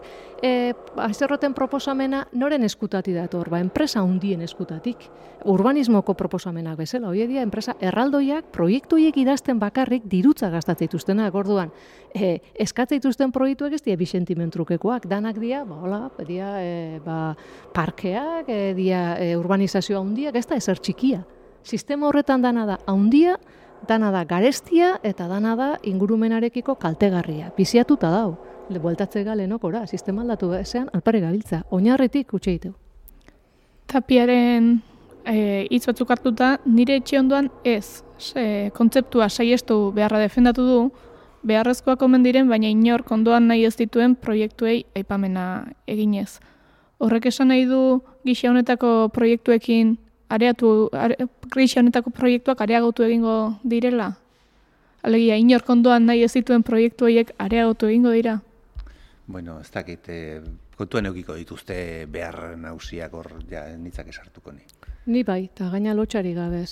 proposamena noren eskutatik dator, enpresa hundien eskutatik. Urbanismoko proposamenak bezala, hori dira, enpresa erraldoiak, proiektuiek idazten bakarrik dirutza gastatzen dituztenak. Orduan, eskatzen dituzten proiektuak ez dira bi sentimentrukekoak, danak dira, parkeak, urbanizazioa hundiak, ez da ezer txikia. Sistema horretan dana da handia, dana da garestia eta dana da ingurumenarekiko kaltegarria. Biziatuta dau. Bueltatze galenokora, sistema aldatu ezean alpare gabiltza. Oinarritik utxe ditu. Tapiaren hitz batzuk hartuta, nire etxe ondoan ez. Kontzeptua saiestu beharra defendatu du, beharrezkoak omen diren, baina inork ondoan nahi ez dituen proiektuei aipamena eginez. Horrek esan nahi du gisa honetako proiektuekin gisa honetako proiektuak areagotu egingo direla? Alegia, inork ondoan nahi ez dituen proiektu horiek areagotu egingo dira? Bueno, ez dakit, kontuan eukiko dituzte behar nagusiak hor nitzak esartuko ni. Ni bai, eta gaina lotxari gabe.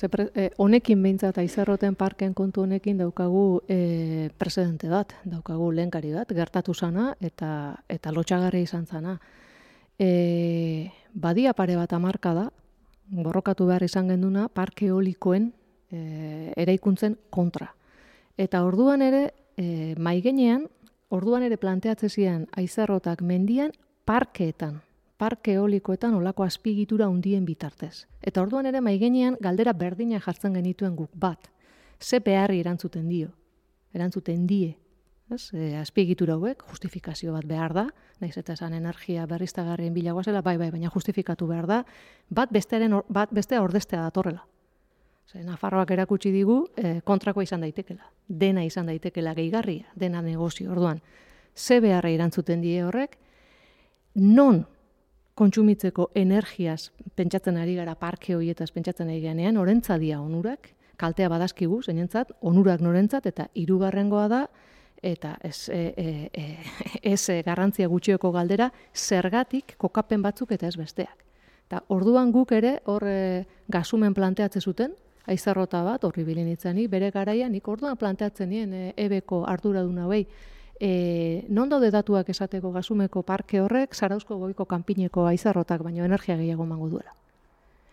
Honekin behintzat Aizarroten parken kontu honekin daukagu presidente bat, daukagu lehenkari bat, gertatu zana eta lotxagarria izan zana. Badia pare bat hamarka da, borrokatu behar izan genduna, parke eolikoen eraikuntzen kontra. Eta orduan ere, maigenean, orduan ere planteatzen ziren Aizarrotak mendian parkeetan, parke eolikoetan olako azpiegitura hundien bitartez. Eta orduan ere maigenean galdera berdina jartzen genituen guk bat. Ze beharri erantzuten die. Azpiegitura hauek, justifikazio bat behar da, nahiz eta esan energia berriztagarrien bilagoa zela, bai, baina justifikatu behar da, bat bestea ordeztea datorrela. Nafarroak erakutsi digu kontrakoa izan daitekela. Dena izan daitekela gehigarria, dena negozio. Orduan, ze beharra erantzuten die horrek, non kontsumitzeko energiaz pentsatzen ari gara parke horietaz pentsatzen ari ganean, orentza dia onurak, kaltea badazkigu, zeinentzat, onurak norentzat, eta hirugarrengoa da, eta ez garrantzia gutxioko galdera, zergatik kokapen batzuk eta ez besteak. Eta orduan guk ere hor gasumen planteatzen zuten, Aizarrota bat, horri bilinitzani, bere garaian, nik orduan planteatzen nien ebeko arduradun hauei, non daude datuak esateko gasumeko parke horrek, Zarauzko goiko kanpineko Aizarrotak baino energia gehiago emango duela.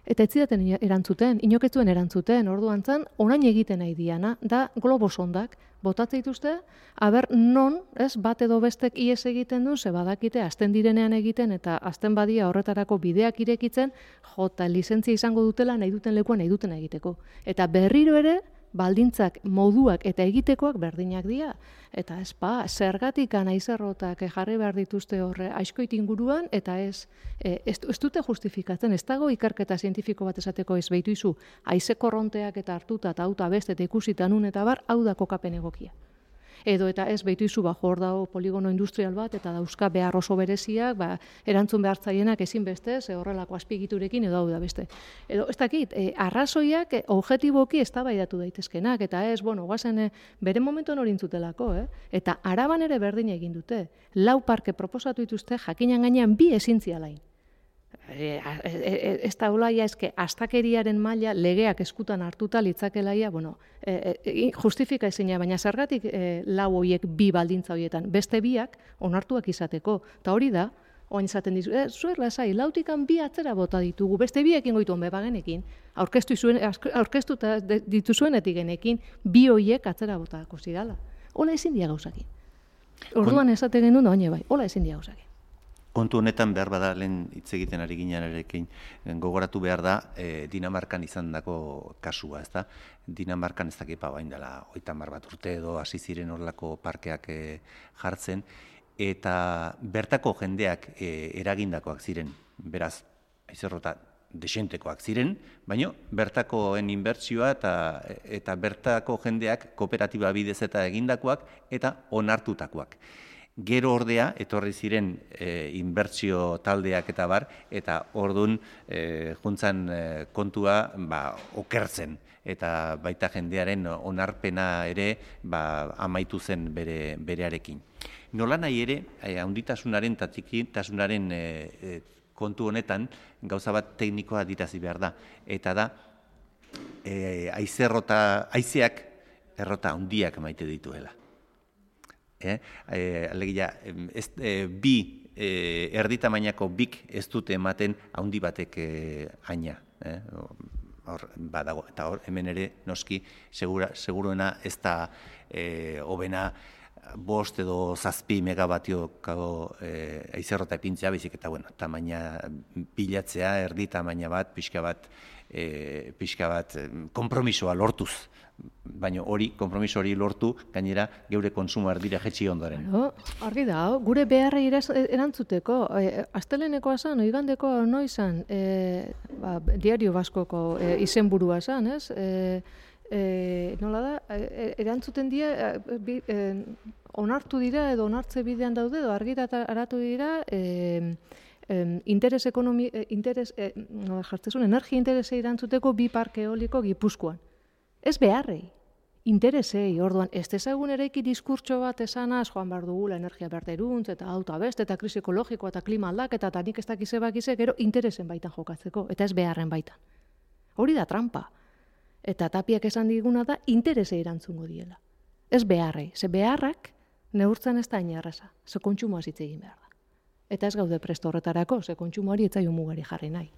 Eta ez zidaten erantzuten, inok ez duen erantzuten, orduan zan, orain egiten nahi diana, da globosondak, botatzen dituzte, aber non, bat edo bestek ies egiten du, ze badakite, azten direnean egiten, eta azten badia horretarako bideak irekitzen, jota lizentzia izango dutela, nahi duten lekuan nahi duten egiteko. Eta berriro ere, baldintzak, moduak eta egitekoak berdinak dira. Eta zergatik aizerrotak jarri behar dituzte horre aizkoit inguruan, eta ez dute justifikatzen, ez dago ikerketa zientifiko bat esateko ez behitu izu, aize korronteak eta hartuta eta auta beste eta ikusitan nun eta bar, hau da kokapen egokia. Edo eta ez behitu izu, hor dago poligono industrial bat, eta dauzka behar oso bereziak, erantzun behar zaienak ezin bestez, horrelako azpigiturekin edo hau da beste. Edo, ez dakit, arrazoiak objetiboki eztabaidatu daitezkenak, eta ez, guazen bere momentuan hori intzutelako, eta Araban ere berdin egin dute. 4 parke proposatu dituzte, jakinan gainean 2 ezintzialain. Ez da olaia eske astakeriaren maila legeak eskutan hartuta litzakelaia, justifika ezina, baina zergatik 4 horiek 2 baldintza horietan, beste 2ak onartuak izateko. Eta hori da, oain izaten dizu, zuer lasai, 4tikan 2 atzera bota ditugu, beste 2ekin goitu honbe bagenekin, aurkeztu dituzuenetik genekin, 2 horiek atzera botako zidala. Hola ezin dia gauzakin. Orduan esate genuen, bai, hola ezin dia gauzakin. Kontu honetan behar bada lehen hitz egiten ari ginenarekin gogoratu behar da Dinamarkan izandako kasua, ezta? Dinamarkan ez dakipa bain dela 30 bat urte edo hasi ziren horrelako parkeak jartzen eta bertako jendeak eragindakoak ziren. Beraz, aizerrota desentekoak ziren, baina bertakoen inbertsioa eta bertako jendeak kooperatiba bidez eta egindakoak eta onartutakoak. Gero ordea, etorri ziren inbertsio taldeak eta bar, eta ordun juntzan kontua okertzen. Eta baita jendearen onarpena ere amaitu zen berearekin. Nola nahi ere, handitasunaren eta txikitasunaren kontu honetan, gauza bat teknikoa dirazi behar da. Eta da, haizeak errota handiak maite dituela. Alegia, 2 erdi tamainako 2 ez dute ematen handi batek aina. Eta hor, hemen ere, noski, seguruena ez da hobena 5 edo 7 megabatioko haizerrota ipintzea, baizik eta, tamaina bilatzea, erdi tamaina bat, pixka bat konpromisoa lortuz. Baina konpromiso hori lortu, gainera, geure konsumo erdira jetxi ondoren. Argi da, gure beharrei erantzuteko, astelenekoa zan, oigandekoa noizan, Diario Baskoko izenburua zan, ez? Nola da, erantzuten dira, onartu dira edo onartze bidean daude, edo argitaratu dira, energia interesei erantzuteko 2 parke eoliko Gipuzkoan. Ez beharrei, interesei, orduan, ez dezagun eraiki diskurtso bat esanaz, joan behar dugula energia berderuntz, eta auta beste, eta krisi ekologikoa, eta klima aldaketa, eta nik ez dakize bakize, gero interesen baitan jokatzeko, eta ez beharren baitan. Hori da trampa. Eta Tapiak esan diguna da, interesei erantzungo diela. Ez beharrei, ze beharrak neurtzen ez da inerreza, ze kontsumoa hitz egin behar da. Eta ez gaude presto horretarako, ze kontsumoari ez zaio mugari jarri nahi.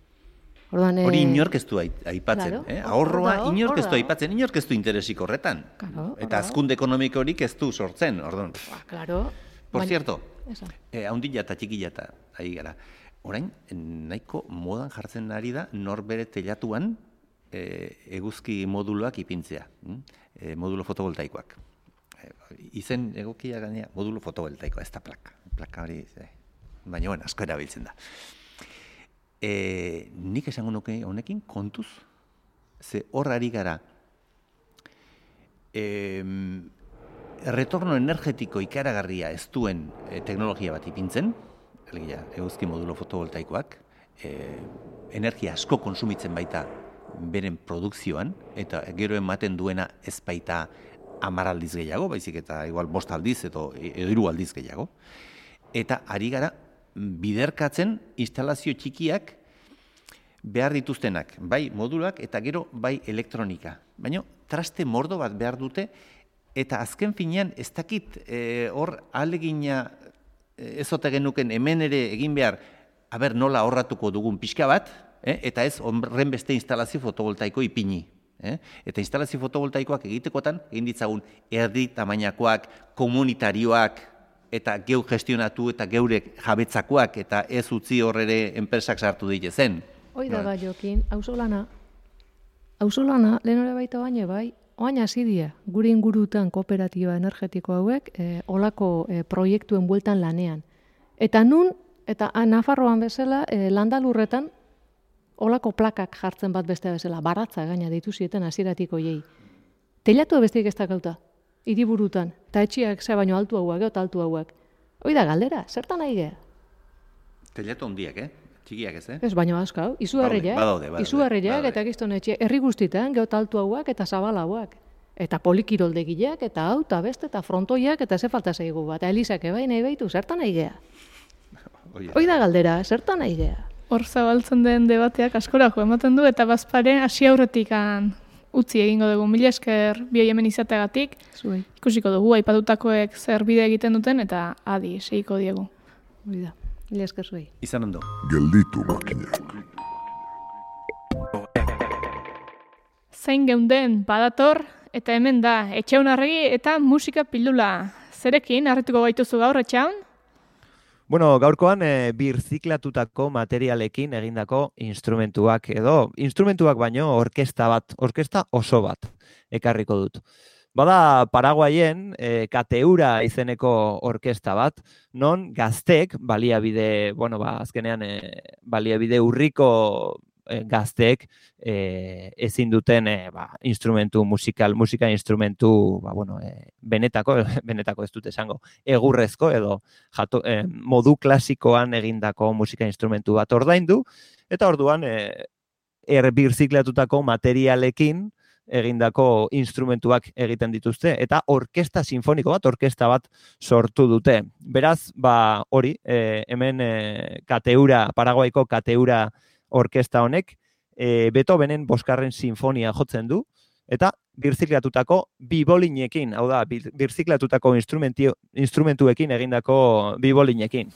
Hori inork ez du aipatzen, ahorroa inork ez du aipatzen, inork ez du interesik horretan. Eta hazkunde ekonomikorik ez du sortzen, orduan. Por cierto, haundila eta txikila eta ari gara. Orain, nahiko modan jartzen ari da norbere telatuan eguzki moduloak ipintzea, modulo fotovoltaikoak. Izen egokia gainea, modulo fotovoltaikoa, ez da plaka hori, baina asko erabiltzen da. Nik esango nuke honekin kontuz, ze hor ari gara retorno energetiko ikaragarria ez duen teknologia bat ipintzen, eguzki modulo fotovoltaikoak, energia asko konsumitzen baita beren produkzioan, eta gero ematen duena ez baita 10 aldiz gehiago, baizik eta igual 5 aldiz edo 3 aldiz gehiago, eta ari gara biderkatzen instalazio txikiak behar dituztenak, bai modulak eta gero bai elektronika. Baina traste mordo bat behar dute eta azken finean ez dakit hor ahalegina ezote genuken hemen ere egin behar nola ahorratuko dugun pixka bat, eta ez horren beste instalazio fotovoltaiko ipini. Eta instalazio fotovoltaikoak egitekotan egin ditzagun erdi tamainakoak, komunitarioak, eta geu gestionatu eta geure jabetzakoak eta ez utzi horrere enpresak sartu ditezen. Hoi da bai, Jokin, auzolana, lehen hori baita baina bai, oain hasi dira, gure ingurutan kooperatiba energetiko hauek, olako proiektuen bueltan lanean. Eta nun, eta Nafarroan bezala, landalurretan, olako plakak jartzen bat beste bezala, baratza gaina deitu zieten hasieratik hoiei. Telatu besteik ez dakauta, hiriburutan, eta etxiak ze baino altu hauak, eta altu hauak. Hoi da galdera, zertan nahi gea? Telatu hondiak, txikiak ez, Ez baino asko, hau, izugarriak eta gizton etxe, herri guztitan, geot altu hauak eta zabal hauak. Eta polikiroldegileak, eta hau, eta beste, eta frontoiak, eta ze falta zaigu bat, eta elizak ebai nahi baitu, zertan nahi gea? Hoi da galdera, zertan nahi gea? Hor zabaltzen den debateak askorako ematen du, eta bazpare hasi aurretik utzi egingo dugu. Mila esker bi hemen izateagatik. Zuei. Ikusiko dugu, aipatutakoek zer bide egiten duten, eta adi, segiko diegu. Hoi da, mila esker zuei. Izan ondo. Gelditu makinak. Zain geunden badator, eta hemen da, Etxaun Arregi eta musika pildula. Zerekin, harrituko gaituzu gaur, Etxaun? Bueno, gaurkoan birziklatutako materialekin egindako instrumentuak edo, instrumentuak baino orkesta oso bat ekarriko dut. Bada Paraguayen Kateura izeneko orkesta bat, non gazteek, azkenean baliabide urriko gazteek ezin duten musika instrumentu benetako ez dut esango, egurrezko edo modu klasikoan egindako musika instrumentu bat ordaindu, eta orduan birziklatutako materialekin egindako instrumentuak egiten dituzte, eta orkesta sinfoniko bat, orkesta bat sortu dute. Beraz, hori, hemen Paraguaiko Kateura orkesta honek, Beethovenen 5. sinfonia jotzen du, eta birziklatutako bibolinekin, hau da, birziklatutako instrumentuekin egindako bibolinekin.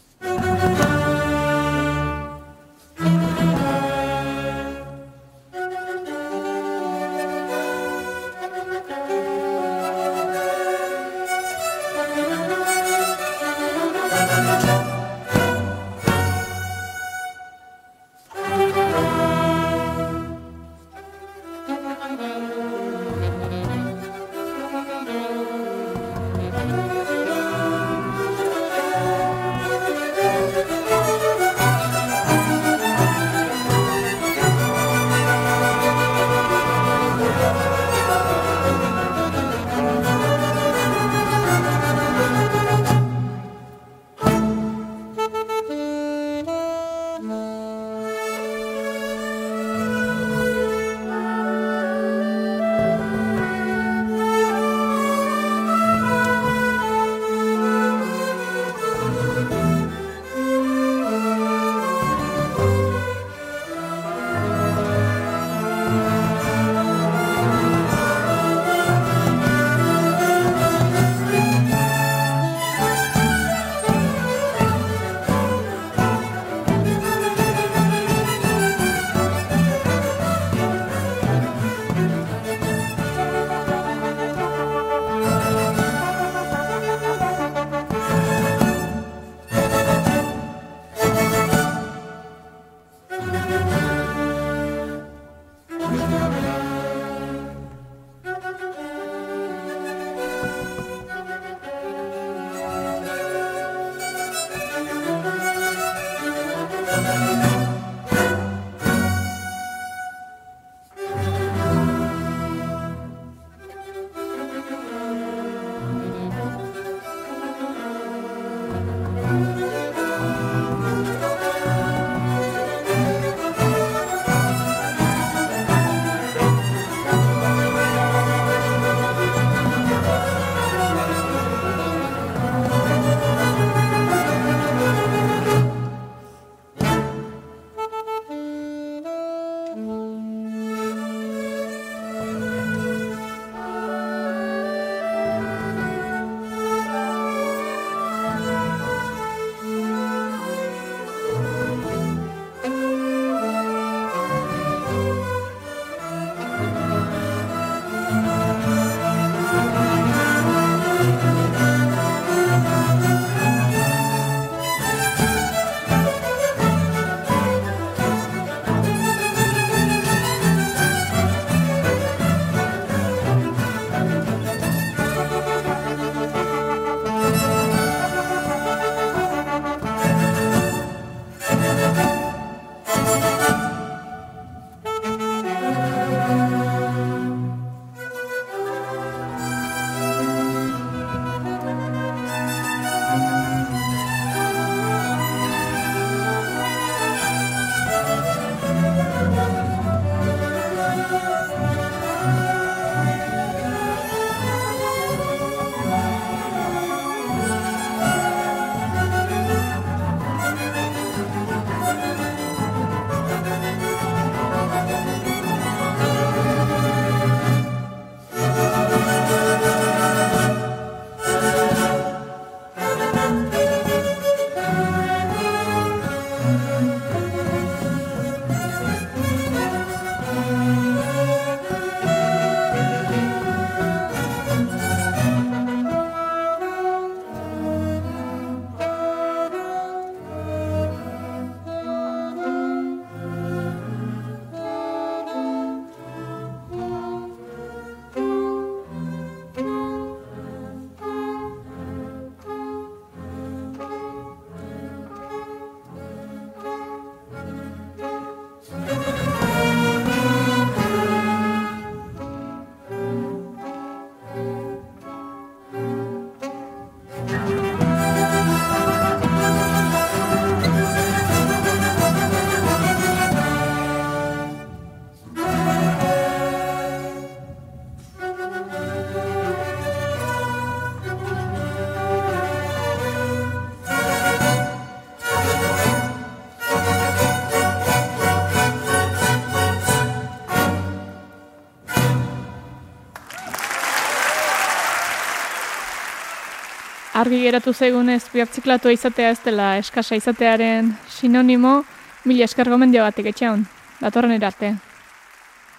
argi geratu zaigunez birtziklatua izatea ez dela eskasa izatearen sinonimo, mila esker gomendio batik etxean, datorren erarte.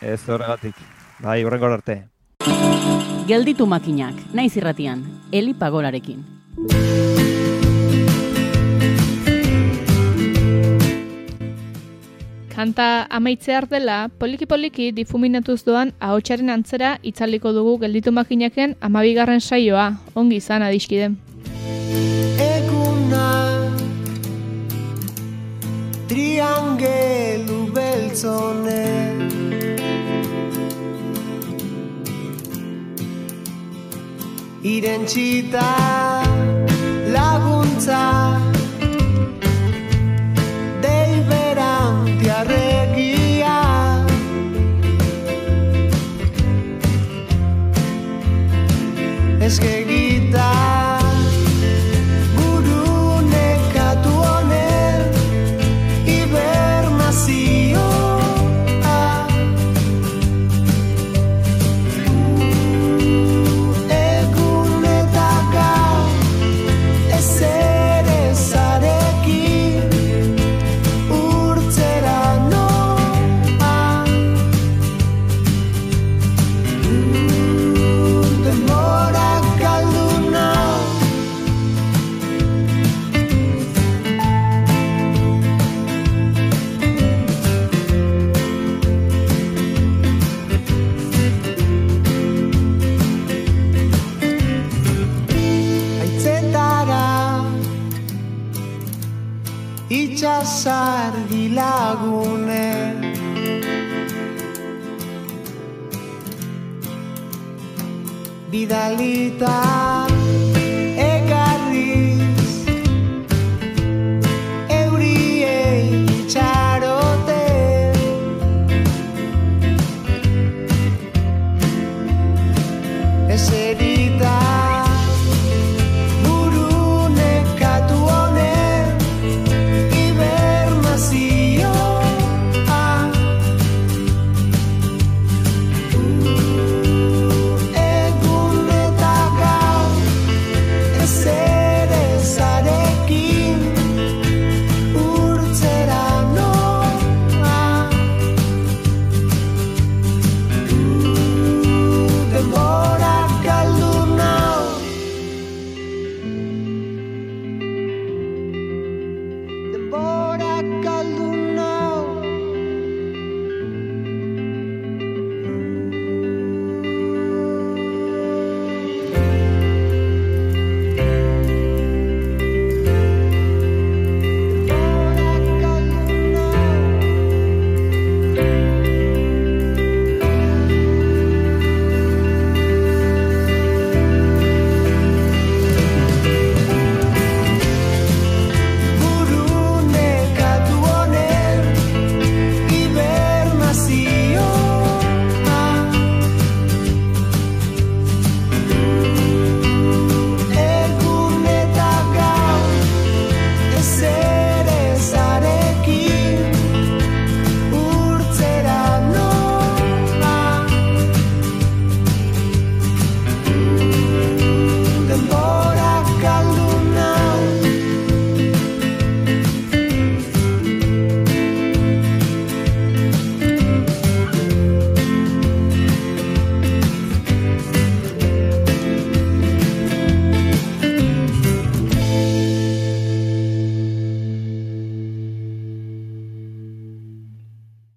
Ez horregatik, bai, horrengor arte. Gelditu makinak, naiz irratian, Eli Pagolarekin. Kanta amaitzear dela, poliki-poliki difuminatuz doan ahotsaren antzera itzaliko dugu Gelditu makinaken 12. saioa, ongi izan adiskide. Eguna triangelu beltzone irentsita laguntza deiberantiarregia eskegita buru nekatu honen hibernazioa egunetaka ezerezarekin urtzera noa denbora galduna aitzetara itxasargi lagune bidalita